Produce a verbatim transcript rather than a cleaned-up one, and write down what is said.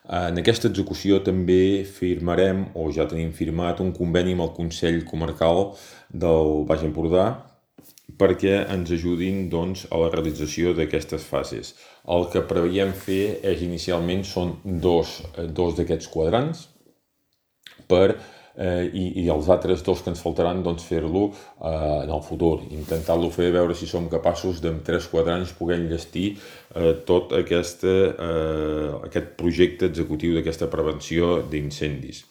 En aquesta execució també firmarem, o ja tenim firmat, un conveni amb el Consell Comarcal del Baix Empordà perquè ens ajudin doncs, a la realització d'aquestes fases. El que preveiem fer és, inicialment, són dos, dos d'aquests quadrants per, eh, i, i els altres dos que ens faltaran doncs, fer-lo eh, en el futur. Intentar-lo fer, veure si som capaços d'en tres quadrants poder enllestir eh, tot aquesta, eh, aquest projecte executiu d'aquesta prevenció d'incendis.